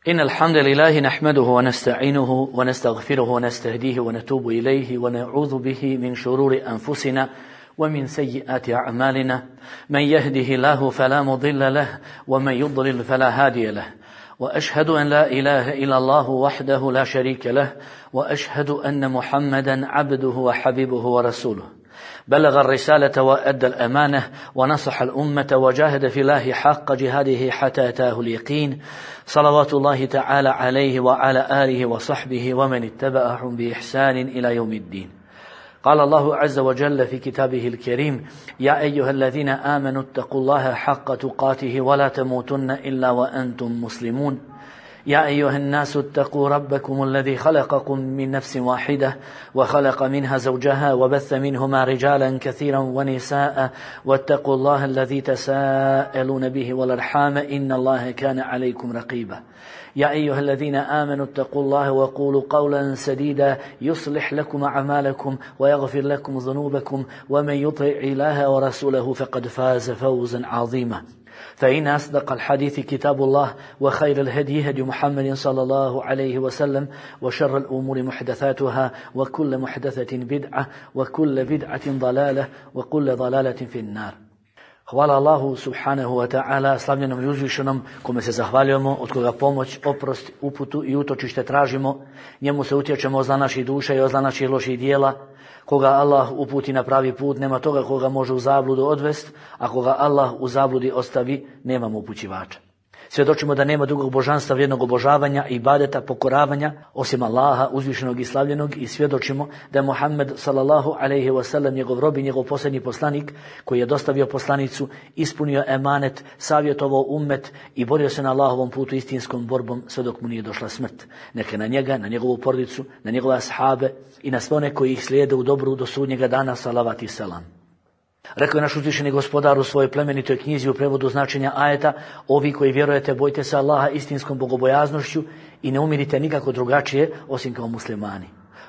إن الحمد لله نحمده ونستعينه ونستغفره ونستهديه ونتوب إليه ونعوذ به من شرور أنفسنا ومن سيئات أعمالنا. من يهده الله فلا مضل له ومن يضلل فلا هادي له. وأشهد أن لا إله إلا الله وحده لا شريك له وأشهد أن محمدا عبده وحبيبه ورسوله. بلغ الرسالة وأدى الأمانة ونصح الأمة وجاهد في الله حق جهاده حتى أتاه اليقين. صلوات الله تعالى عليه وعلى آله وصحبه ومن اتبعهم بإحسان إلى يوم الدين. قال الله عز وجل في كتابه الكريم: يا أيها الذين آمنوا اتقوا الله حق تقاته ولا تموتن إلا وأنتم مسلمون. يا أيها الناس اتقوا ربكم الذي خلقكم من نفس واحدة وخلق منها زوجها وبث منهما رجالا كثيرا ونساء واتقوا الله الذي تساءلون به والأرحام إن الله كان عليكم رقيبا. يا أيها الذين آمنوا اتقوا الله وقولوا قولا سديدا يصلح لكم أعمالكم ويغفر لكم ذنوبكم ومن يطع الله ورسوله فقد فاز فوزا عظيما. فإن أصدق الحديث كتاب الله وخير الهدي هدي محمد صلى الله عليه وسلم وشر الأمور محدثاتها وكل محدثة بدعة وكل بدعة ضلالة وكل ضلالة في النار. Hvala Allahu subhanahu wa ta'ala, slavljenom i uzvišenom, kome se zahvaljujemo, od koga pomoć, oprost, uputu i utočište tražimo. Njemu se utječemo od zla naših duša i od zla naših loših dijela. Koga Allah uputi na pravi put, nema toga koga može u zabludu odvest, a koga Allah u zabludi ostavi, nemamo upućivača. Svjedočimo da nema drugog božanstva vrijednog obožavanja i ibadeta, pokoravanja osim Allaha uzvišenog i slavljenog, i svjedočimo da je Muhammed sallallahu alejhi ve sellem njegov rob i njegov posljednji poslanik, koji je dostavio poslanicu, ispunio emanet, savjetovao ummet i borio se na Allahovom putu istinskom borbom sve dok mu nije došla smrt. Neka na njega, na njegovu porodicu, na njegove ashabe i na sve one koji ih slijede u dobru do sudnjega dana, salavat i selam. Rekao je naš uzvišeni gospodar u svojoj plemenitoj knjizi u prevodu značenja ajeta: ovi koji vjerujete, bojte se Allaha istinskom bogobojaznošću i ne umirite nikako drugačije osim kao muslimani.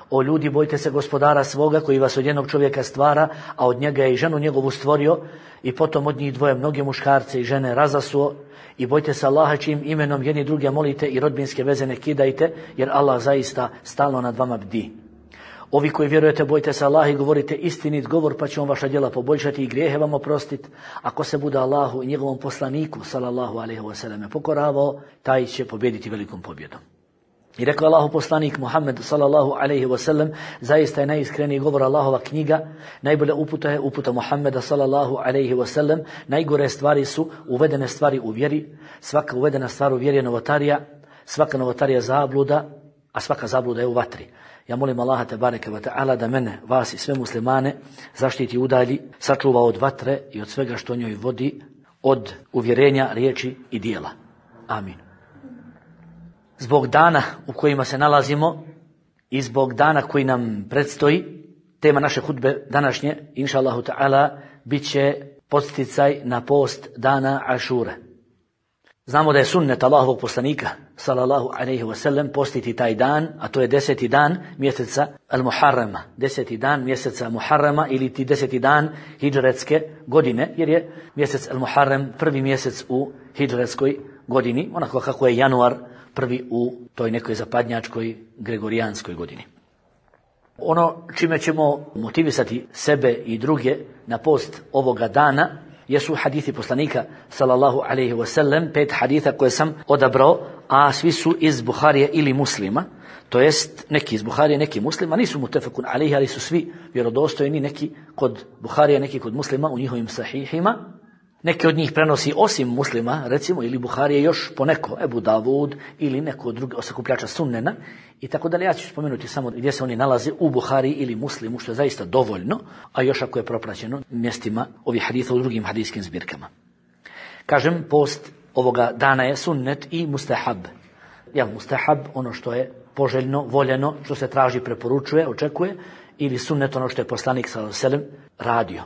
O ljudi, bojte se gospodara svoga koji vas od jednog čovjeka stvara, a od njega je i ženu njegovu stvorio, i potom od njih dvoje mnoge muškarce i žene razasuo. I bojte se Allaha čijim imenom jedni druge molite i rodbinske veze ne kidajte, jer Allah zaista stalno nad vama bdi. Ovi koji vjerujete, bojte se Allaha i govorite istinit govor, pa će on vaša djela poboljšati i grijehe vam oprostiti. Ako se bude Allahu i njegovom poslaniku sallallahu alejhi ve selleme pokoravao, taj će pobijediti velikom pobjedom. I rekao Allahu poslanik Muhammed sallallahu alejhi ve sellem: zaista je najiskreniji govor Allahova knjiga, najbolja uputa je uputa Muhammeda sallallahu alejhi ve sellem, najgore stvari su uvedene stvari u vjeri, svaka uvedena stvar u vjeri je novotarija, svaka novotarija zabluda, a svaka zabluda je u vatri. Ja molim Allaha tebareke ve ta'ala da mene, vas i sve muslimane zaštiti, udalji, sačuva od vatre i od svega što njoj vodi, od uvjerenja, riječi i dijela. Amin. Zbog dana u kojima se nalazimo i zbog dana koji nam predstoji, tema naše hudbe današnje, inša Allahu ta'ala, bit će podsticaj na post dana Ašure. Znamo da je sunnet Allahovog poslanika sallallahu alejhi ve sellem postiti taj dan, a to je 10. dan mjeseca al-Muharrama, 10. dan mjeseca Muharrama ili ti 10. dan hidžretske godine, jer je mjesec al-Muharram prvi mjesec u hidžretskoj godini, onako kako je januar prvi u toj nekoj zapadnjačkoj gregorijanskoj godini. Ono čime ćemo motivisati sebe i druge na post ovoga dana jesu hadithi poslanika sallallahu alejhi ve sellem, 5 haditha koje sam odabrao, a svi su iz Buharije ili Muslima, to jest neki iz Buharije, neki Muslima, nisu mutefekun alejhi, ali su svi vjerodostojni, neki kod Buharije, neki kod Muslima u njihovim sahihima. Neki od njih prenosi osim Muslima, recimo, ili Buharije još poneko, Ebu Davud ili neko drugi sakupljača sunnena i tako dalje. Ja ću spomenuti samo gdje se oni nalaze u Buhariji ili Muslimu, što je zaista dovoljno, a još ako je propraćeno mjestima ovih haditha u drugim hadijskim zbirkama. Kažem, post ovoga dana je sunnet i mustahab. Mustahab, ono što je poželjno, voljeno, što se traži, preporučuje, očekuje, ili sunnet, ono što je poslanik sallallahu alejhi ve sellem radio.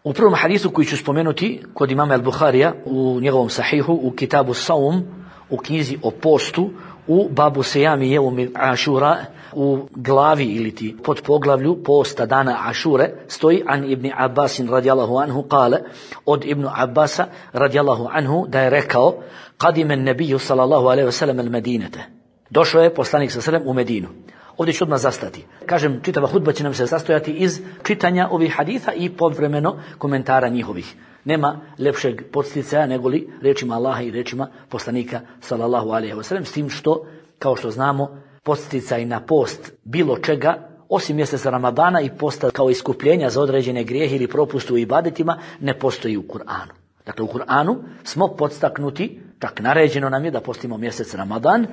U prvom hadisu koji ću spomenuti kod imama al-Bukharija u njegovom sahihu u Kitabu Saum, u knjizi o postu, u babu sejami jeumi Ašura, u glavi ili ti pod poglavlju posta dana Ašure stoji an Ibn Abbasin radijallahu anhu kale, od Ibn Abbasa radijallahu anhu da je rekao qadimen nebiju sallallahu alaihi wasallam al Medinete. Došao je poslanik sallallahu alaihi wasallam u Medinu. Ovdje ću odmah zastati. Kažem, čitava hudba će nam se sastojati iz čitanja ovih haditha i povremeno komentara njihovih. Nema lepšeg podsticaja nego li riječima Allaha i riječima poslanika sallallahu alejhi ve sellem, s tim što, kao što znamo, podsticaj na post bilo čega osim mjeseca Ramadana i posta kao iskupljenja za određene grijehe ili propuste u ibadetima ne postoji u Kur'anu. Dakle, u Kur'anu smo podstaknuti, čak naređeno nam je da postimo mjesec Ramadan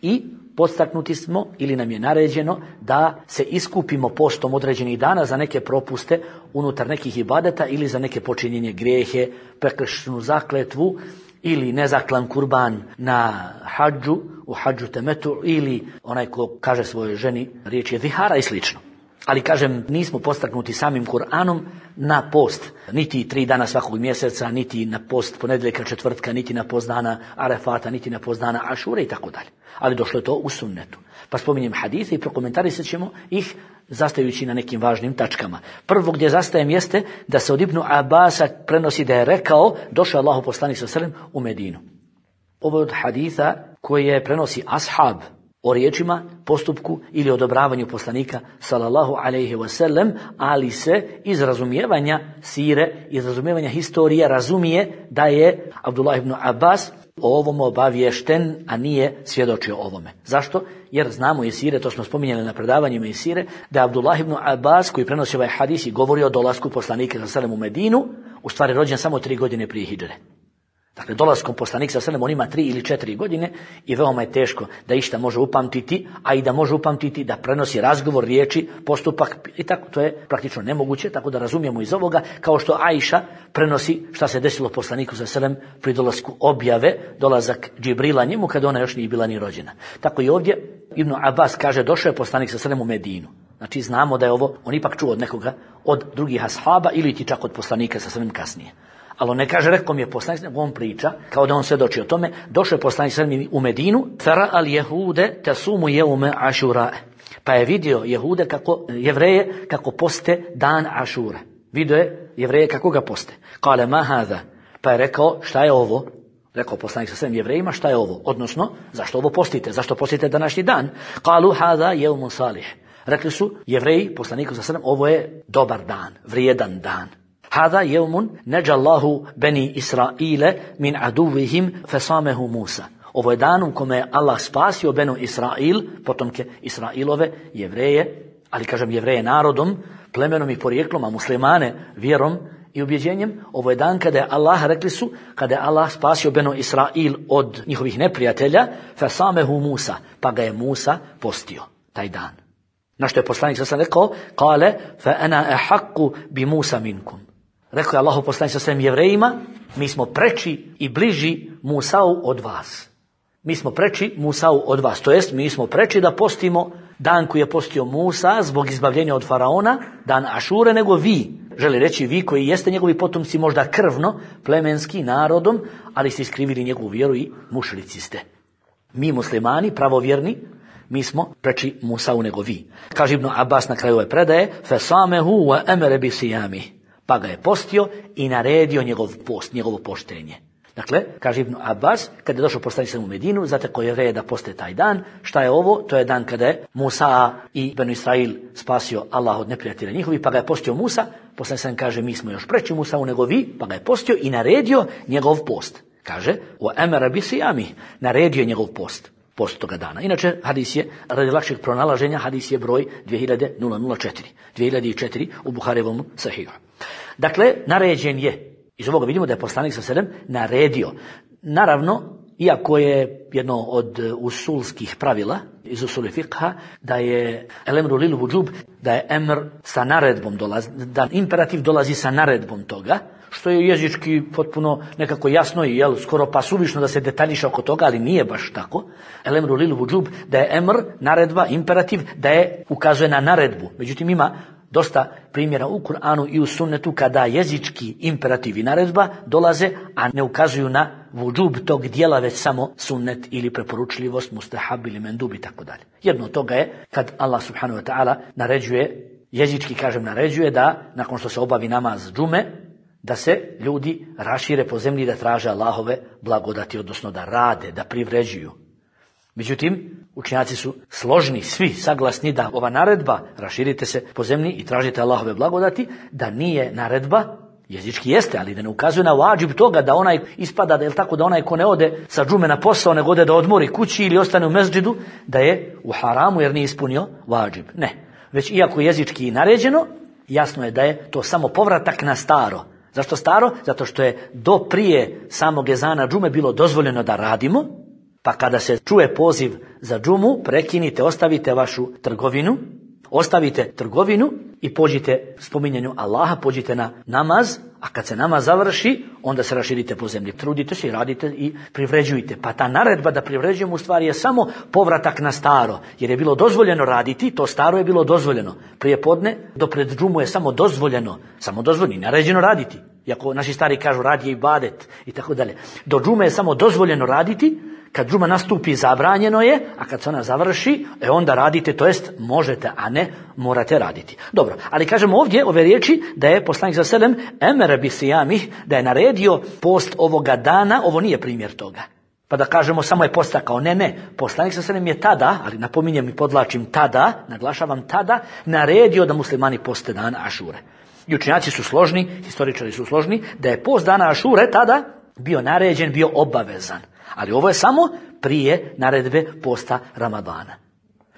i podstaknuti smo ili nam je naređeno da se iskupimo postom određenih dana za neke propuste unutar nekih ibadeta ili za neke počinjenje grijehe, prekršenu zakletvu ili nezaklan kurban na hadžu, u hadžu temetu, ili onaj ko kaže svojoj ženi riječ je vihara i slično. Ali kažem, nismo podstaknuti samim Kur'anom na post, niti 3 dana svakog mjeseca, niti na post ponedjeljka, četvrtka, niti na post dana Arefata, niti na post dana Ašure i tako dalje. Ali došlo je to u sunnetu. Pa spominjem hadise i prokomentarisat ćemo ih zastajući na nekim važnim tačkama. Prvo gdje zastajem jeste da se od Ibn Abasa prenosi da je rekao, došao Allahu poslanik sallallahu alejhi ve sellem u Medinu. Ovo je od haditha koje prenosi ashab o riječima, postupku ili odobravanju poslanika sallallahu alejhi ve sellem, ali se iz razumijevanja sire, iz razumijevanja historije razumije da je Abdullah ibn Abbas o ovom obaviješten, a nije svjedočio ovome. Zašto? Jer znamo iz sire, to smo spominjali na predavanjima iz sire, da je Abdullah ibn Abbas, koji prenosi ovaj hadis i govori o dolasku poslanika sallallahu alejhi ve sellem u Medinu, u stvari rođen samo 3 godine prije hidžre. Dakle, dolaskom poslanika sallallahu alejhi ve sellem on ima 3 ili 4 godine i veoma je teško da išta može upamtiti, a i da može upamtiti da prenosi razgovor, riječi, postupak i tako, to je praktično nemoguće, tako da razumijemo iz ovoga, kao što Ajša prenosi šta se desilo poslaniku sallallahu alejhi ve sellem pri dolasku objave, dolazak Džibrila njemu kada ona još nije bila ni rođena. Tako i ovdje Ibn Abbas kaže, došao je poslanik sallallahu alejhi ve sellem u Medinu. Znači znamo da je ovo, on ipak čuo od nekoga, od drugih ashaba ili ti čak od poslanika sallallahu alejhi ve sellem kasnije. Ali on ne kaže, rekao mi je poslanik, nego on priča, kao da on svjedoči o tome, došao je poslanik sallallahu alejhi ve sellem u Medinu, fara al jehude tasumu jeume Ašura. Pa je vidio Jehude Jevreje kako poste dan Ašure. Vidio je Jevreje kako ga poste. Kale ma hada. Pa je rekao, šta je ovo? Rekao poslanik sa svem Jevrejima, šta je ovo? Odnosno, zašto ovo postite? Zašto postite današnji dan? Kalu hada jeumun salih. Rekli su Jevreji poslaniku sa svem, ovo je dobar dan, vrijedan dan. Hada jeumun neđallahu beni Israile min aduvihim fesamehu Musa. Ovo je dan u kome je Allah spasio benu Israil, potomke Israilove, Jevreje, ali kažem Jevreje narodom, plemenom i porijeklom, a muslimane vjerom i ubjeđenjem. Ovo je dan kada je Allah, rekli su, kada je Allah spasio benu Israil od njihovih neprijatelja, fesamehu Musa, pa ga je Musa postio taj dan. Na što je poslanik sa rekao, kale fa ana ahakku bi Musa minkum. Rekao je Allahu poslanik sa svem Jevrejima, mi smo preči i bliži Musau od vas. Mi smo preči Musau od vas, to jest mi smo preči da postimo dan koji je postio Musa zbog izbavljenja od faraona, dan Ašure, nego vi. Želi reći vi koji jeste njegovi potomci možda krvno, plemenski, narodom, ali ste iskrivili njegovu vjeru i mušrici ste. Mi muslimani, pravovjerni, mi smo preči Musau nego vi. Kaže Ibn Abbas na kraju ove predaje, fesamehu wa emere bi sijami. Pa ga je postio i naredio njegov post, njegovo poštenje. Dakle, kaže Ibn Abbas, kada je došao poslanik u Medinu, zatekao Jevreje da poste taj dan. Šta je ovo? To je dan kada je Musa i Benu Israil spasio Allah od neprijatelja njihovih, pa ga je postio Musa. Poslanik kaže, mi smo još preči Musau nego vi, pa ga je postio i naredio njegov post. Kaže, wa emara bi sijami, naredio je njegov post toga dana. Inače, hadis je, radi lakšeg pronalaženja, hadis je broj 2004. 2004 u Buharijevom sahihu. Dakle, naređen je. Iz ovoga vidimo da je poslanik sa selem naredio. Naravno, iako je jedno od usulskih pravila iz usuli fiqha, da je el-emru lil vudžub, da je emr sa naredbom dolazi, da imperativ dolazi sa naredbom toga, što je jezički potpuno nekako jasno i skoro pa suvišno da se detaljiša oko toga, ali nije baš tako. El-emru lil vudžub, da je emr, naredba, imperativ, da je ukazuje na naredbu. Međutim, ima dosta primjera u Kur'anu i u sunnetu kada jezički imperativ i naredba dolaze, a ne ukazuju na vudžub tog dijela, već samo sunnet ili preporučljivost, mustahab ili mendub i tako dalje. Jedno od toga je kad Allah subhanahu wa ta'ala naređuje, jezički kažem naređuje, da nakon što se obavi namaz džume, da se ljudi rašire po zemlji, da traže Allahove blagodati, odnosno da rade, da privređuju. Međutim, učenjaci su složni, svi saglasni da ova naredba, raširite se po zemlji i tražite Allahove blagodati, da nije naredba, jezički jeste, ali da ne ukazuje na vađib toga da onaj ispada, da je tako, da onaj ko ne ode sa džume na posao, nego ode da odmori kući ili ostane u mezđidu, da je u haramu jer nije ispunio vađib. Ne. Već iako je jezički naređeno, jasno je da je to samo povratak na staro. Zašto staro? Zato što je do prije samog ezana džume bilo dozvoljeno da radimo, pa kada se čuje poziv za džumu, prekinite, ostavite trgovinu i pođite spominjanju Allaha, pođite na namaz, a kad se namaz završi, onda se raširite po zemlji. Trudite se i radite i privređujte. Pa ta naredba da privređujemo u stvari je samo povratak na staro, jer je bilo dozvoljeno raditi, to staro je bilo dozvoljeno. Prije podne do pred džumu je samo dozvoljeno, naređeno raditi. Iako naši stari kažu rad je ibadet i tako dalje. Do džume je samo dozvoljeno raditi, kad džuma nastupi zabranjeno je, a kad se ona završi, onda radite, to jest možete, a ne morate raditi. Dobro, ali kažemo ovdje ove riječi da je poslanik sallallahu alejhi ve sellem emere bi sijamih, da je naredio post ovoga dana, ovo nije primjer toga. Pa da kažemo samo je postakao, ne, poslanik sallallahu alejhi ve sellem je tada, ali napominjem i podvlačim tada, naglašavam tada, naredio da muslimani poste dan Ašure. I učenjaci su složni, historičari su složni, da je post dana Ašure tada bio naređen, bio obavezan. Ali ovo je samo prije naredbe posta Ramadana.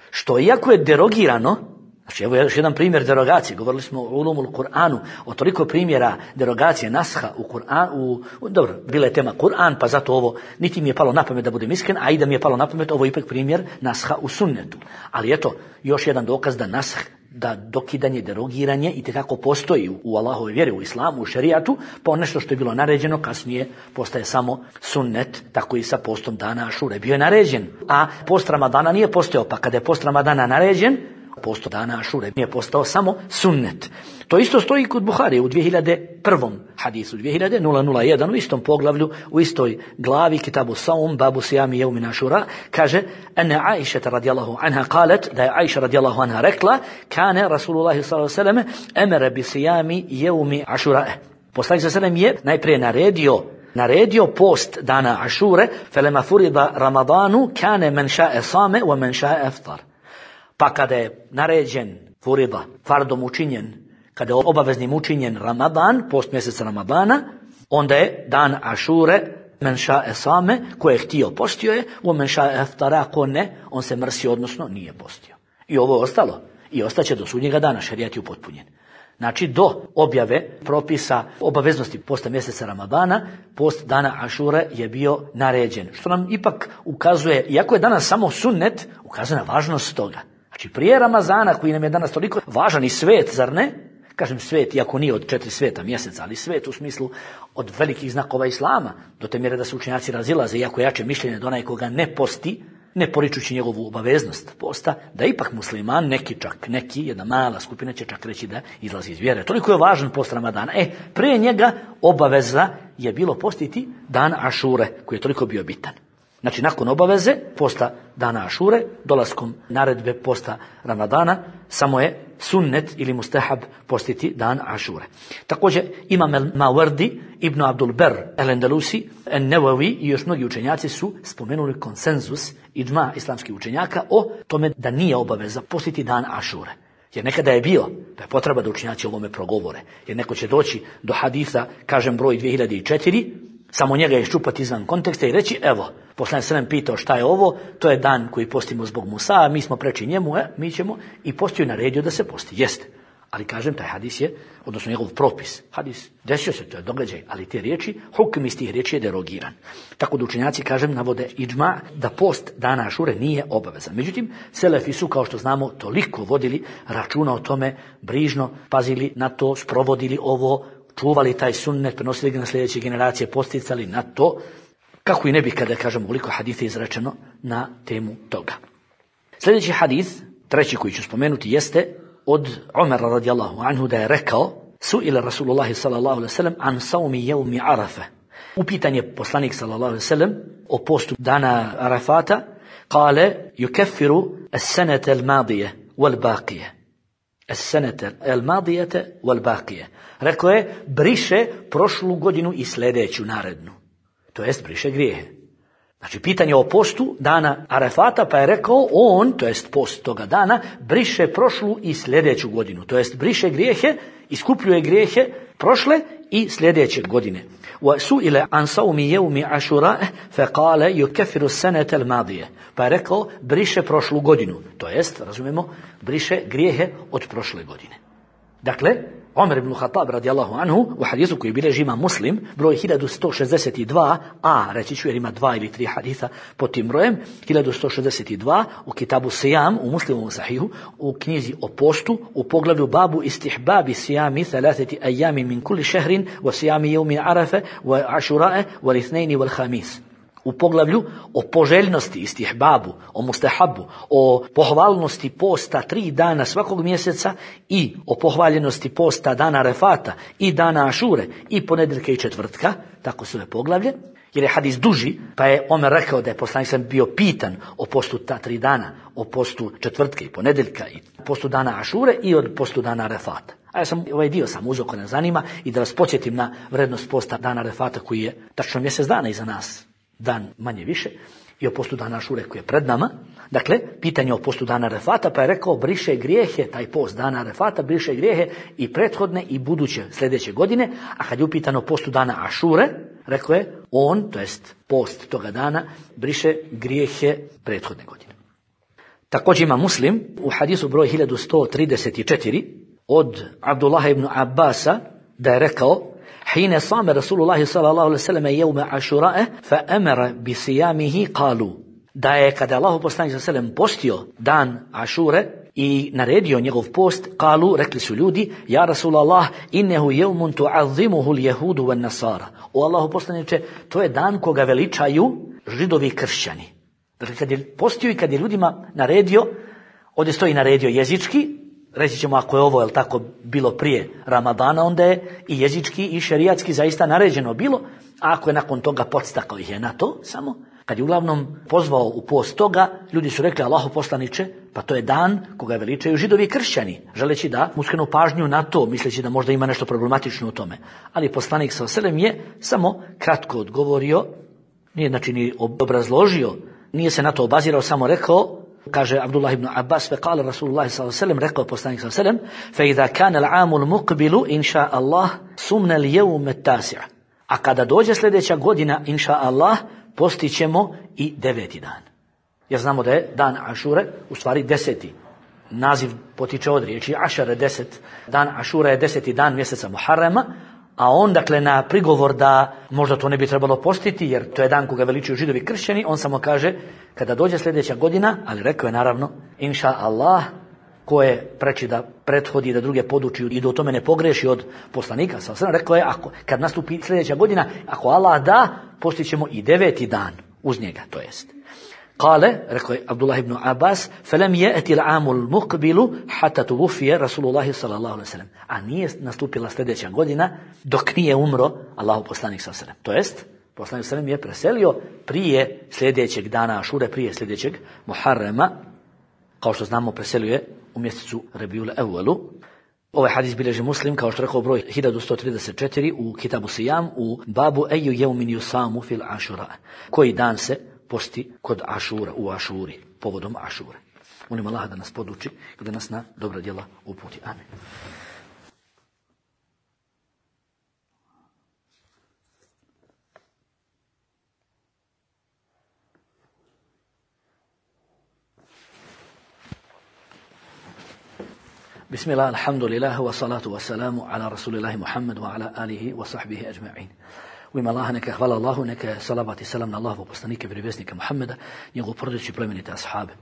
Što iako je derogirano, znači evo još jedan primjer derogacije, govorili smo o ulumul Kur'anu, o toliko primjera derogacije, nasha u Kur'anu, dobro, bila je tema Kur'an, pa zato ovo, niti mi je palo na pamet da budem iskren, a i da mi je palo na pamet, ovo je ipak primjer nasha u sunnetu. Ali eto, još jedan dokaz da nash, da dokidanje, derogiranje i tekako postoji u Allahovoj vjeri, u islamu, u šerijatu, pa nešto što je bilo naređeno kasnije postaje samo sunnet, tako i sa postom dana Ašure. Bio je naređen, a post Ramadana nije postojao, pa kada je post Ramadana naređen, post dana Ašure nije postao samo sunnet. To isto stoji kod Buharije u 2001. hadisu, 2001 u istom poglavlju, u istoj glavi Kitabu Saum, babu sijami jevmin Ašura, kaže ene Aisha radijallahu anha qalet, da je Aisha radijallahu anha rekla, kane Rasulullahi sallallahu alejhi ve sellem emere bi sijami jevmi Ašura. Poslanik sallallahu alejhi ve sellem je najprije naredio post dana Ašure, felema furida Ramadanu kane men ša'e same wa men ša'e aftar. Pa kada je naređen furida, fardom učinjen, kada je obaveznim učinjen Ramadan, post mjeseca Ramadana, onda je dan Ašure, men ša'e same, ko je htio postio je, u men ša'e aftara, ko ne, on se mrsio, odnosno nije postio. I ovo je ostalo. I ostaće do sudnjega dana, šerijat je upotpunjen. Znači do objave propisa obaveznosti posta mjeseca Ramadana, post dana Ašure je bio naređen. Što nam ipak ukazuje, iako je danas samo sunnet, ukazuje na važnost toga. Znači prije Ramazana, koji nam je danas toliko važan i svet, zar ne? Kažem svet, iako nije od 4 sveta mjeseca, ali svet u smislu od velikih znakova islama, do te mjere da se učenjaci razilaze, iako jače mišljenje da onaj koga ne posti, ne poričući njegovu obaveznost posta, da ipak musliman, neki, jedna mala skupina će čak reći da izlazi iz vjere. Toliko je važan post Ramadana. Prije njega obaveza je bilo postiti dan Ašure, koji je toliko bio bitan. Znači, nakon obaveze posta dana Ašure, dolaskom naredbe posta Ramadana, samo je sunnet ili mustahab postiti dan Ašure. Također, Imam al-Mawardi, Ibn Abdul Ber, al-Andalusi, al-Nawawi i još mnogi učenjaci su spomenuli konsenzus idžma islamskih učenjaka o tome da nije obaveza postiti dan Ašure. Jer nekada je bio, da je potreba da učenjaci o ovome progovore. Jer neko će doći do hadisa, kažem broj 2004, samo njega iščupati izvan konteksta i reći, evo, poslanik sallallahu pitao šta je ovo, to je dan koji postimo zbog Musa, mi smo preči njemu, mi ćemo, i postio je naredio da se posti. Jeste. Ali kažem, taj hadis je, odnosno njegov propis, hadis, desio se, to je događaj, ali te riječi, hukm iz tih riječi je derogiran. Tako da učenjaci, kažem, navode idžma da post dana Ašure nije obavezan. Međutim, selefi su, kao što znamo, toliko vodili računa o tome, brižno pazili na to, sprovodili ovo, čuvali taj sunnet, prenosili ga na sljedeće generacije, posticali na to, kako i ne bi kada kažemo koliko hadisa izrečeno na temu toga. Sljedeći hadis, treći koji ću spomenuti, jeste od Umara radijallahu anhu da je rekao: Su'ila Rasulullahi sallallahu alaihi sallam an saumi jevmi Arafa. Upitan je poslanik sallallahu alaihi sallam o postu dana Arafata. Kale, yukeffiru as-sanata al-madije wal-baqije. As-sanata al-madijete wal-baqije. Rekao je, briše prošlu godinu i sljedeću narednu. To jest, briše grijehe. Znači, pitanje o postu dana Arafata, pa je rekao on, to jest post toga dana, briše prošlu i sljedeću godinu. To jest, briše grijehe, iskupljuje grijehe prošle i sljedeće godine. وَسُئِلَ عَنْ صَوْمِ يَوْمِ عَشُرَاءَ فَقَالَ يُكَفِّرُ السَّنَةَ الْمَاضِيَ. Pa je rekao, briše prošlu godinu. To jest, razumemo, briše grijehe od prošle godine. Dakle, Omer ibn Khattab radijallahu anhu u hadisu koji bilježi ima Muslim, broj 1162, a reći ću jer ima 2 ili 3 hadisa pod tim brojem, 1162 u kitabu Sijam, u Muslimovom sahihu, u knjizi o postu, u poglavlju babu istihbabi sijami thalathati ajami min kulli šehrin, wa sijami jevmi Arafe, wa ašurae, wa lithnejni, wal hamis. U poglavlju o poželjnosti, istihbabu, o mustahabu, o pohvalnosti posta 3 dana svakog mjeseca i o pohvaljenosti posta dana Arefata i dana Ašure i ponedjeljka i četvrtka, tako su je poglavlje, jer je hadis duži, pa je Omer rekao da je poslanik sam bio pitan o postu ta 3 dana, o postu četvrtke i ponedjeljka i postu dana Ašure i od postu dana Arefata. A ja sam ovaj dio sam uzeo ko ne zanima i da vas podsjetim na vrednost posta dana Arefata koji je tačno mjesec dana iza nas. Dan manje više, i o postu dana Ašure koji je pred nama. Dakle, pitanje o postu dana Arefata, pa je rekao, briše grijehe, taj post dana Arefata briše grijehe i prethodne i buduće sljedeće godine, a kad je upitano o postu dana Ašure, rekao je, on, to jest post toga dana, briše grijehe prethodne godine. Također ima Muslim u hadisu broj 1134 od Abdullaha ibn Abbasa da je rekao: حين صام رسول الله صلى الله عليه وسلم يوم عاشوراء فأمر بصيامه قالوا. Da je kada Allahu poslanik sallallahu alejhi ve sellem postio dan Ašure i naredio njegov post, kalu, rekli su ljudi: ja Rasulallah, innehu yawmun tu'azzimuhu al-yahudu wan-nasara. O Allahu poslaniče, to je dan koga veličaju židovi i kršćani. Dakle, kad je postio i kad je ljudima naredio, ovdje stoji naredio jezički, reći ćemo ako je ovo, jel tako, bilo prije Ramadana, onda je i jezički i šerijatski zaista naređeno bilo, a ako je nakon toga podstakao ih je na to samo, kad je uglavnom pozvao u post toga, ljudi su rekli: Allahu poslaniče, pa to je dan koga veličaju židovi i kršćani, želeći da mu skrenu pažnju na to, misleći da možda ima nešto problematično u tome. Ali poslanik sallallahu alejhi ve sellem je samo kratko odgovorio, nije znači ni obrazložio, nije se na to obazirao, samo rekao, kaže Abdullah ibn Abbas, fe kale Rasulullah sallallahu alejhi ve sellem, rekao poslanik sallallahu alejhi ve sellem: fe idha kana al-amu al-muqbilu inša Allah sumna al-yawm at-tasi'. A kada dođe sljedeća godina, inša Allah, postićemo i 9. dan. Jer znamo da je dan Ašure u stvari 10. Naziv potiče od riječi Ašare, 10. Dan Ašura je 10. dan mjeseca Muharrema, a on, dakle, na prigovor da možda to ne bi trebalo postiti, jer to je dan koga veličuju židovi i kršćani, on samo kaže, kada dođe sljedeća godina, ali rekao je naravno, inša Allah, ko je preči da prethodi, da druge poduči i da u tome ne pogreši od poslanika, rekao je, kad nastupi sljedeća godina, ako Allah da, postićemo i 9. dan uz njega, to jest. Kale, rekao je Abdullah ibn Abbas, felem je'ti l'amul muqbilu hatta tuvufije Rasulullahi sallallahu alaihi sallam. A nije nastupila sljedeća godina dok nije umro Allahu poslanik sallallahu alaihi sallam. To jest, poslanik sallallahu je preselio prije sljedećeg dana Ašure, prije sljedećeg Muharrema, kao što znamo preselio je u mjesecu Rabiul Evvelu. Ovaj hadis bilježi Muslim, kao što rekao, broj 1134 u kitabu Sijam, u babu eju jevmin yusamu fil Ašura. Koji dan se posti kod Ašura, u Ašuri, povodom Ašure. Molim Allaha da nas poduči i da nas na dobra djela uputi. Amin. Bismillah, alhamdulillah, wa salatu wa salamu ala rasulillahi Muhammad wa ala alihi wa sahbihi ajma'in. U ime Allaha neka hvala Allahu, neka salavat i salam na Allahovog poslanika i vjerovjesnika Muhammeda, njegovu porodicu i plemenite ashabe.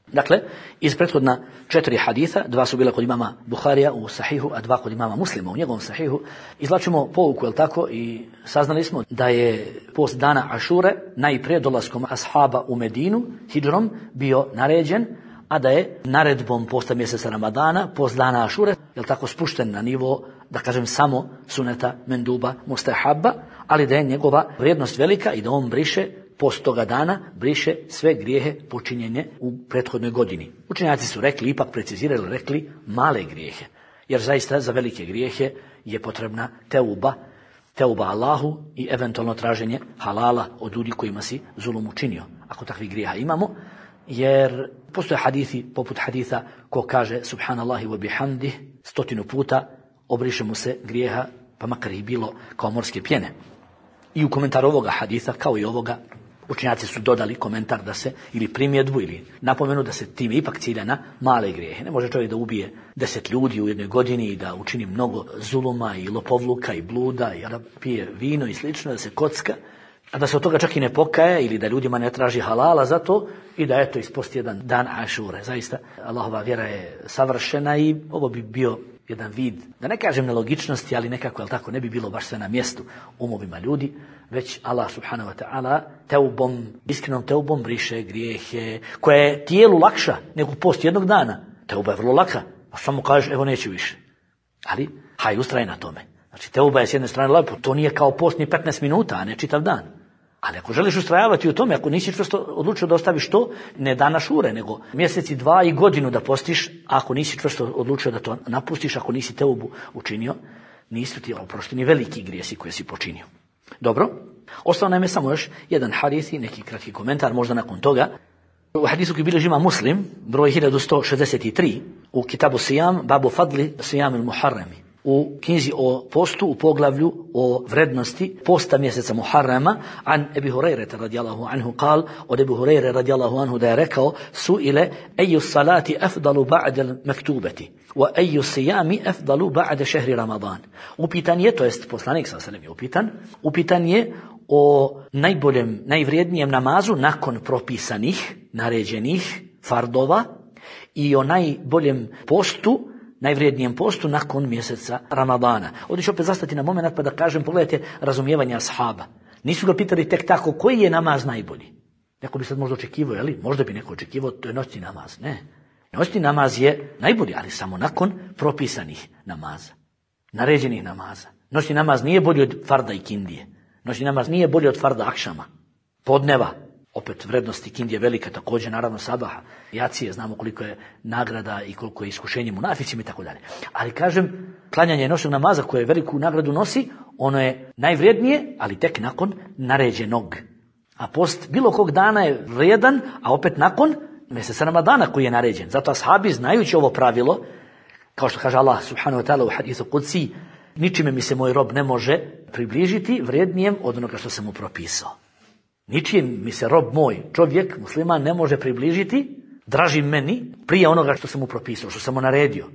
Dakle, iz prethodna 4 haditha, 2 su bila kod imama Buharija u sahihu, a 2 kod imama Muslima u njegovom sahihu, izvlačimo pouku, jel tako, i saznali smo da je post dana Ašure najprije dolaskom ashaba u Medinu, hidžrom, bio naređen, a da je naredbom posta mjeseca Ramadana, post dana Ašure, je tako spušten na nivo, da kažem, samo suneta, menduba, mustahabba, ali da je njegova vrijednost velika i da on briše post toga dana, briše sve grijehe počinjene u prethodnoj godini. Učenjaci su rekli, ipak precizirali, rekli male grijehe, jer zaista za velike grijehe je potrebna teuba Allahu i eventualno traženje halala od ljudi kojima si zulum učinio, ako takvih grijeha imamo, jer postoje hadithi poput haditha ko kaže subhanallahi wa bihamdih 100 puta, obriše mu se grijeha, pa makar ih bilo kao morske pjene. I u komentaru ovoga haditha, kao i ovoga, učenjaci su dodali komentar da se, ili primjedbu, ili napomenu da se time ipak cilja na male grijehe. Ne može čovjek da ubije 10 ljudi u jednoj godini i da učini mnogo zuluma i lopovluka i bluda i da pije vino i slično, da se kocka, a da se od toga čak i ne pokaje ili da ljudima ne traži halala za to i da eto isposti jedan dan Ašure. Zaista, Allahova vjera je savršena i ovo bi bio jedan vid, da ne kažem nelogičnosti, ali nekako, jel tako, ne bi bilo baš sve na mjestu umovima ljudi, već Allah subhanahu wa ta'ala teubom, iskrenom teubom briše grijehe, koje je tijelu lakša nego post jednog dana. Teuba je vrlo laka, a samo kažeš, evo neću više. Ali, haj, ustraj na tome. Znači, teuba je s jedne strane lepo, to nije kao post ni 15 minuta, a ne čitav dan. Ali ako želiš ustrajavati u tome, ako nisi čvrsto odlučio da ostaviš to, ne dan Ašure, nego mjeseci, 2 i godinu da postiš, ako nisi čvrsto odlučio da to napustiš, ako nisi teubu učinio, nisu ti oprošteni veliki grijesi koje si počinio. Dobro, ostao nam je samo još jedan hadis i neki kratki komentar, možda nakon toga. U hadisu koji bilježi ima Muslim, broj 1163, u Kitabu Sijam, babu fadli Sijam il Muharremi. U knjizi o postu, u poglavlju o vrednosti posta mjeseca Muharrama, an Ebi Hurajreta radijallahu anhu kal, od Ebi Hurajre radijallahu anhu da je rekao, su ile eju salati afdalu ba'de mektubeti, wa eju sijami afdalu ba'de šehri Ramadan. Upitan je, to jest poslanik sallam je upitan je o najboljem, najvrijednijem namazu nakon propisanih, naređenih fardova i o najboljem postu, najvrijednijem postu nakon mjeseca Ramadana. Ovdje ću opet zastati na moment pa da kažem, pogledajte razumijevanje ashaba. Nisu ga pitali tek tako koji je namaz najbolji. Neko bi sad možda očekivao, jeli? Možda bi neko očekivao, to je noćni namaz. Ne. Noćni namaz je najbolji, ali samo nakon propisanih namaza, naređenih namaza. Noćni namaz nije bolji od farda i kindije. Noćni namaz nije bolji od farda akšama, podneva. Opet vrednosti kindije velika, također naravno sabaha, jacije, znamo koliko je nagrada i koliko je iskušenje munaficima i tako dalje. Ali kažem, klanjanje noćnog namaza koje veliku nagradu nosi, ono je najvrijednije, ali tek nakon naređenog. A post bilo kog dana je vrijedan, a opet nakon mjeseca Ramadana koji je naređen. Zato ashabi, znajući ovo pravilo, kao što kaže Allah subhanahu wa ta'ala u hadithu Qudsi, ničime mi se moj rob ne može približiti vrijednijem od onoga što sam mu propisao. Ničim mi se rob moj, čovjek, musliman, ne može približiti draži meni prije onoga što sam mu propisao, što sam mu naredio.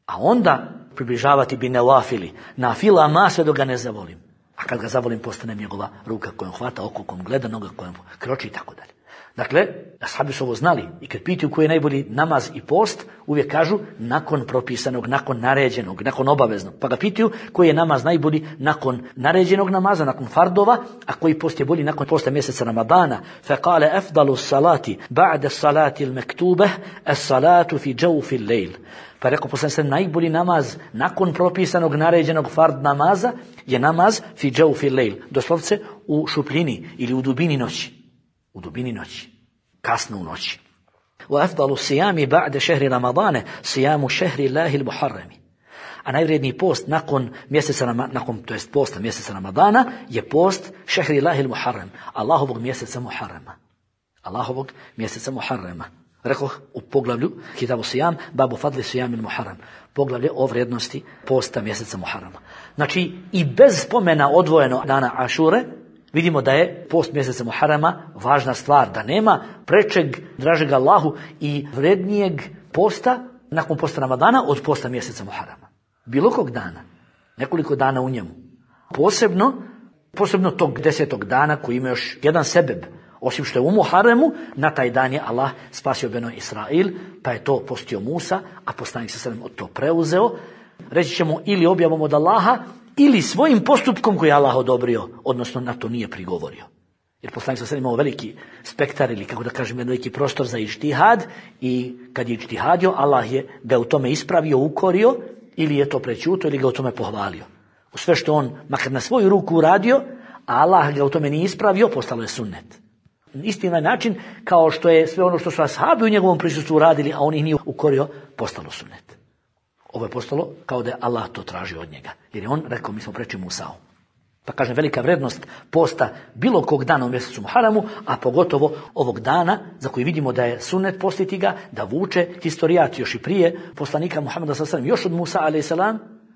A onda približavati bi nevafili, na filama sve dok ga ne zavolim. A kad ga zavolim, postane njegova ruka kojom hvata, oko kojom gleda, noga kojom kroči i tako dalje. Dakle, ashabi su ovo znali i kad pitaju koji je najbolji namaz i post, uvijek kažu nakon propisanog, nakon naređenog, nakon obaveznog. Pa ga pitaju koji je namaz najbolji nakon naređenog namaza, nakon fardova, a koji post je bolji nakon posta mjeseca Ramadana. Faqale afdalu salati ba'da salati al-maktubah as-salatu fi jawfi al-layl. Pa rekao poslanik se najbolji namaz nakon propisanog naređenog fard namaza je namaz fi jawfi al-layl, doslovce u šupljini ili u dubini noći. U dubini noći, kasno u noći. Wa afdalu sijami ba'de šehri Ramadane, sijamu šehri Allahi al-Muharrami. A najvrijedniji post nakon posta mjeseca Ramadana je post šehri Allahi al-Muharram, Allahovog mjeseca Muharrama. Allahovog mjeseca Muharrama. Rekoh u poglavlju Kitabu Sijam, babu fadli sijami al-Muharram. Poglavlje o vrijednosti posta mjeseca Muharrama. Znači, i bez spomena odvojeno dana Ašure, vidimo da je post mjeseca Muharrama važna stvar, da nema prečeg, dražeg Allahu i vrednijeg posta nakon posta Ramadana od posta mjeseca Muharrama. Bilo kog dana, nekoliko dana u njemu. Posebno tog 10. dana koji ima još jedan sebeb, osim što je u Muharremu, na taj dan je Allah spasio Beno Israil, pa je to postio Musa, a poslanik sallallahu alejhi ve sellem to preuzeo. Reći ćemo ili objavom od Allaha, ili svojim postupkom koji je Allah odobrio, odnosno na to nije prigovorio. Jer poslanik sa imao veliki spektar ili kako da kažem veliki prostor za ištihad i kad je ištihadio, Allah je ga u tome ispravio, ukorio ili je to prećutio ili ga u tome pohvalio. U sve što on makar na svoju ruku uradio, a Allah ga u tome nije ispravio, postalo je sunnet. Isti na način kao što je sve ono što su ashabi u njegovom prisustvu uradili, a on ih nije ukorio, postalo sunnet. Ovo je postalo kao da je Allah to tražio od njega. Jer je on rekao, mi smo preči Musa'u. Pa kažem, velika vrednost posta bilo kog dana u mjesecu Muharramu, a pogotovo ovog dana za koji vidimo da je sunnet postiti ga, da vuče historijat još i prije poslanika Muhammeda s.a.v. još od Musa a.s.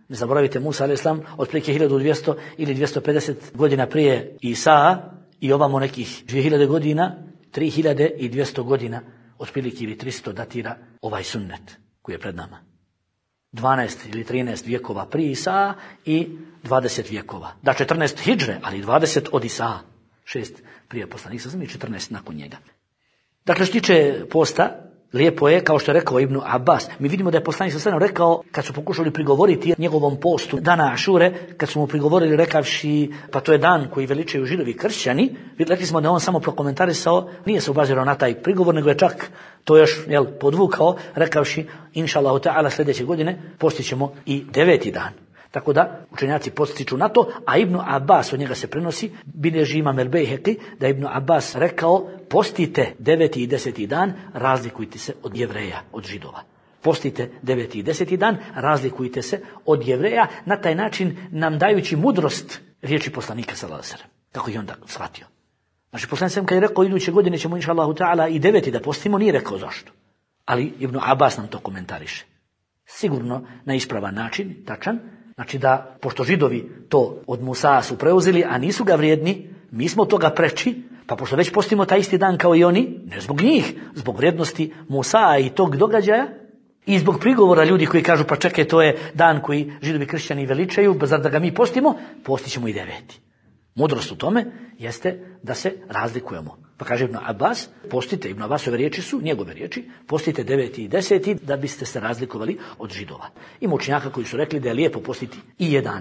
Ne zaboravite, Musa a.s. otprilike 1200 ili 250 godina prije Isa i ovamo nekih 2000 godina, 3200 godina otprilike ili 300 datira ovaj sunnet koji je pred nama. 12 ili 13 vjekova prije Isa i 20 vjekova. Da, 14 hidžre, ali 20 od Isa. 6 prije poslanika i 14 nakon njega. Dakle, što tiče posta, lijepo je, kao što je rekao Ibn Abbas, mi vidimo da je poslanik s.a.v. rekao, kad su pokušali prigovoriti njegovom postu dana Ašure, kad su mu prigovorili rekavši, pa to je dan koji veličaju Židovi i kršćani, rekli smo da on samo prokomentarisao, nije se obazirao na taj prigovor, nego je čak to još podvukao, rekavši, inša Allahu ta'ala sljedeće godine postit ćemo i 9. dan. Tako da učenjaci postiču na to, a Ibn Abbas, od njega se prenosi, bilježi imam el-Bejheki, da Ibn Abbas rekao, postite 9. i 10. dan, razlikujte se od Jevreja, od Židova. Postite 9. i 10. dan, razlikujte se od Jevreja, na taj način nam dajući mudrost riječi poslanika sallallahu alejhi ve sellem, kako je onda shvatio. Znači, poslanik sam kad je rekao, iduće godine ćemo inša Allahu ta'ala i 9. da postimo, nije rekao zašto. Ali Ibn Abbas nam to komentariše. Sigurno na ispravan način, tačan. Znači da, pošto Židovi to od Musa su preuzeli, a nisu ga vrijedni, mi smo toga preči, pa pošto već postimo taj isti dan kao i oni, ne zbog njih, zbog vrijednosti Musa i tog događaja, i zbog prigovora ljudi koji kažu, pa čekaj, to je dan koji Židovi kršćani veličaju, zar da ga mi postimo? Postićemo i 9. Mudrost u tome jeste da se razlikujemo. Pa kaže Ibn Abbas, postite, Ibn Abbasove riječi su, njegove riječi, postite 9. i 10. da biste se razlikovali od Židova. Ima učenjaka koji su rekli da je lijepo postiti i 11.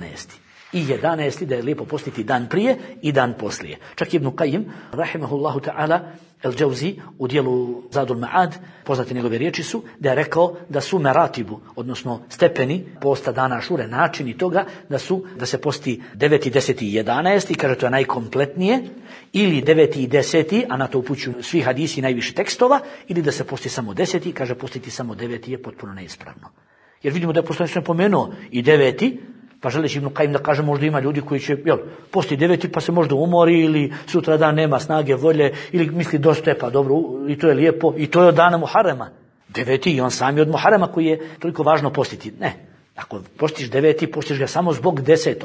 I 11. da je lijepo postiti dan prije i dan poslije. Čak Ibn Qayyim, rahimahullahu ta'ala, El-Džauzi u dijelu Zadul Ma'ad, poznati njegove riječi su, da je rekao da su meratibu, odnosno stepeni posta dana Ašure, načini toga, da se posti 9. 10. i 11. kaže to je najkompletnije, ili 9. i 10. a na to upućuju svi hadisi najviše tekstova, ili da se posti samo 10. kaže postiti samo 9. je potpuno neispravno. Jer vidimo da je poslanik pomenuo i 9. Pa želeći Ibn Qayyim da kaže, možda ima ljudi koji će posti 9. pa se možda umori ili sutra dan nema snage, volje ili misli dosta je, pa dobro, i to je lijepo, i to je od dana Muharrema. 9. i on sam je od Muharrema koji je toliko važno postiti. Ne, ako postiš 9. postiš ga samo zbog 10.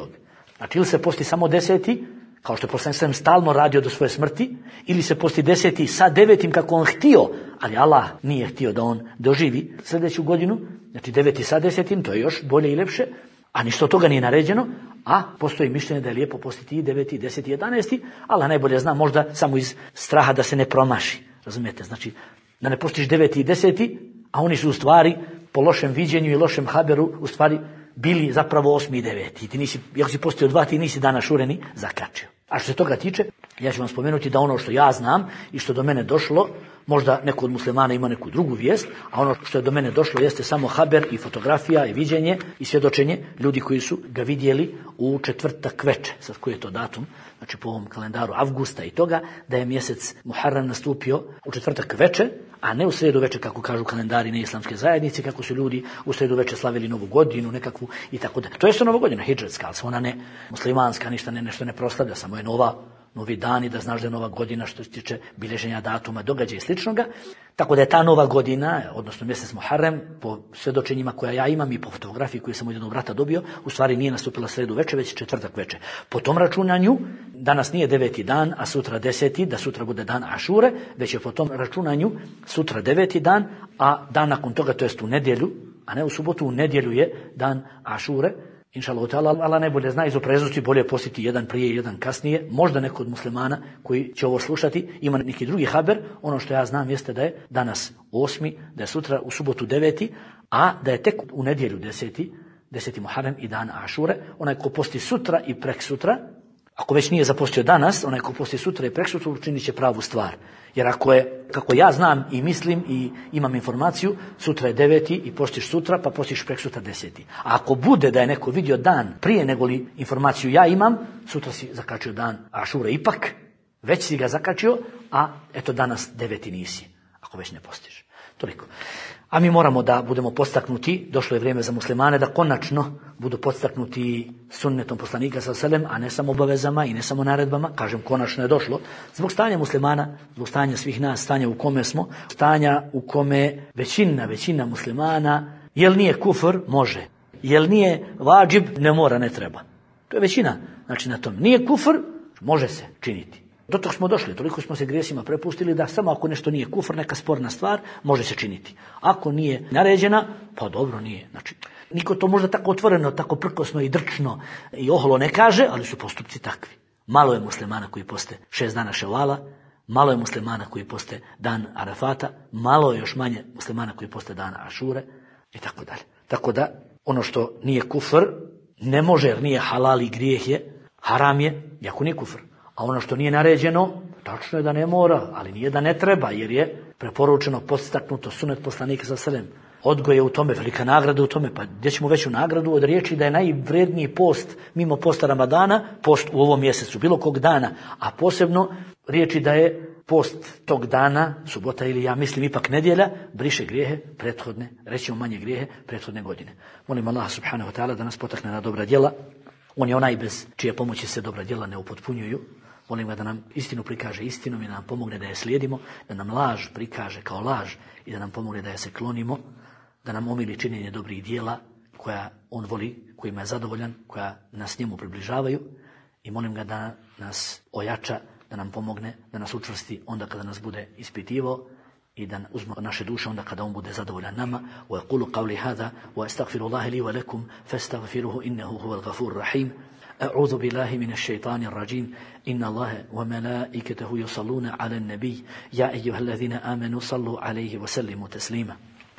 Znači ili se posti samo 10. kao što je poslanik stalno radio do svoje smrti, ili se posti 10. sa 9. kako on htio, ali Allah nije htio da on doživi sljedeću godinu, znači 9. sa 10. to je još bolje i lepše. A ništa od toga nije naređeno, a postoji mišljenje da je lijepo postiti i 9. 10. i 11. Allah najbolje zna, možda samo iz straha da se ne promaši. Razumijete? Znači, da ne postiš 9. i 10. a oni su u stvari, po lošem viđenju i lošem haberu, u stvari bili zapravo 8. i 9. I ti nisi, ako si postio 2, ti nisi dana Ašure ni zakačio. A što se toga tiče, ja ću vam spomenuti da ono što ja znam i što do mene došlo, možda neko od muslimana ima neku drugu vijest, a ono što je do mene došlo jeste samo haber i fotografija i viđenje i svjedočenje ljudi koji su ga vidjeli u četvrtak veče. Sad koji je to datum? Znači po ovom kalendaru avgusta i toga, da je mjesec Muharram nastupio u četvrtak veče, a ne u srijedu veče kako kažu kalendari neislamske zajednice, kako su ljudi u srijedu veče slavili novu godinu nekakvu i tako da. To je nova godina hidžretska, ali ona ne muslimanska, ništa nešto ne proslavlja, samo je novi dani, da znaš da je nova godina što se tiče bilježenja datuma, događaja i sličnoga. Tako da je ta nova godina, odnosno mjesec Muharrem, po svjedočenjima koja ja imam i po fotografiji koju sam od jednog brata dobio, u stvari nije nastupila sredu veče, već četvrtak veče. Po tom računanju, danas nije 9. dan, a sutra 10. da sutra bude dan Ašure, već je po tom računanju sutra 9. dan, a dan nakon toga, to jest u nedjelju, a ne u subotu, u nedjelju je dan Ašure. Inšallahu ta'ala, Allah najbolje zna iz opreznosti, bolje postiti jedan prije i jedan kasnije. Možda neko od muslimana koji će ovo slušati ima neki drugi haber. Ono što ja znam jeste da je danas 8. da je sutra u subotu 9. a da je tek u nedjelju 10. Muharrem i dan Ašure. Onaj ko posti sutra i prek sutra, Ako već nije zapostio danas, onaj ko posti sutra i preksutra učinit će pravu stvar. Jer ako je, kako ja znam i mislim i imam informaciju, sutra je 9. i postiš sutra, pa postiš preksutra 10. A ako bude da je neko vidio dan prije nego li informaciju ja imam, sutra si zakačio dan Ašure ipak, već si ga zakačio, a eto danas 9. nisi, ako već ne postiš. Toliko. A mi moramo da budemo podstaknuti, došlo je vrijeme za muslimane da konačno budu podstaknuti sunnetom poslanika s.a.v. a ne samo obavezama i ne samo naredbama, kažem konačno je došlo, zbog stanja muslimana, zbog stanja svih nas, stanja u kome smo, stanja u kome većina muslimana, jel nije kufr, može, jel nije vađib, ne mora, ne treba. To je većina, znači na tom. Nije kufr, može se činiti. Do tog smo došli, toliko smo se grijesima prepustili da samo ako nešto nije kufr, neka sporna stvar, može se činiti. Ako nije naređena, pa dobro nije. Znači, niko to možda tako otvoreno, tako prkosno i drčno i oholo ne kaže, ali su postupci takvi. Malo je muslimana koji poste 6 dana Ševala, malo je muslimana koji poste dan Arafata, malo je još manje muslimana koji poste dan Ašure i tako dalje. Tako da, ono što nije kufr, ne može jer nije halal i grijeh je, haram je, jako nije kufr. A ono što nije naređeno, tačno je da ne mora, ali nije da ne treba, jer je preporučeno, podstaknuto, sunet poslanika s.a.v. Odgoj je u tome, velika nagrada u tome, pa gdje ćemo veću nagradu od riječi da je najvredniji post, mimo posta Ramadana, post u ovom mjesecu, bilo kog dana, a posebno riječi da je post tog dana, subota ili ja mislim ipak nedjelja, briše grijehe prethodne, rećemo manje grijehe prethodne godine. Molim Allah subhanahu wa ta'ala da nas potakne na dobra djela. On je onaj bez čije pomoći se dobra djela ne upotpunjuju. Molim ga da nam istinu prikaže istinom i da nam pomogne da je slijedimo, da nam laž prikaže kao laž i da nam pomogne da je se klonimo, da nam omili činjenje dobrih djela koja on voli, kojima je zadovoljan, koja nas njemu približavaju i molim ga da nas ojača, da nam pomogne, da nas učvrsti onda kada nas bude ispitivao i da uzme naše duše onda kada on bude zadovoljan nama. Wa yaqulu qawli hadha wa astaghfirullaha li wa lakum fastaghfiruhu innahu huwal ghafurur rahim. أعوذ بالله من الشيطان الرجيم إن الله وملائكته يصلون على النبي يا أيها الذين آمنوا صلوا عليه وسلموا تسليما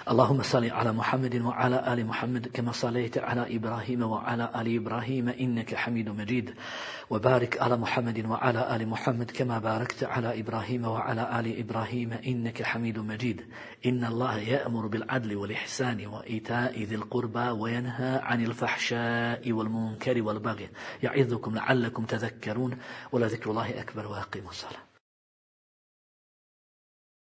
اللهم صل على محمد وعلى آل محمد كما صليت على إبراهيم وعلى آل إبراهيم إنك حميد مجيد وبارك على محمد وعلى آل محمد كما باركت على إبراهيم وعلى آل إبراهيم إنك حميد مجيد إن الله يأمر بالعدل والإحسان وإيتاء ذي القربى وينهى عن الفحشاء والمنكر والبغي يعظكم لعلكم تذكرون ولذكر الله أكبر وأقيموا الصلاة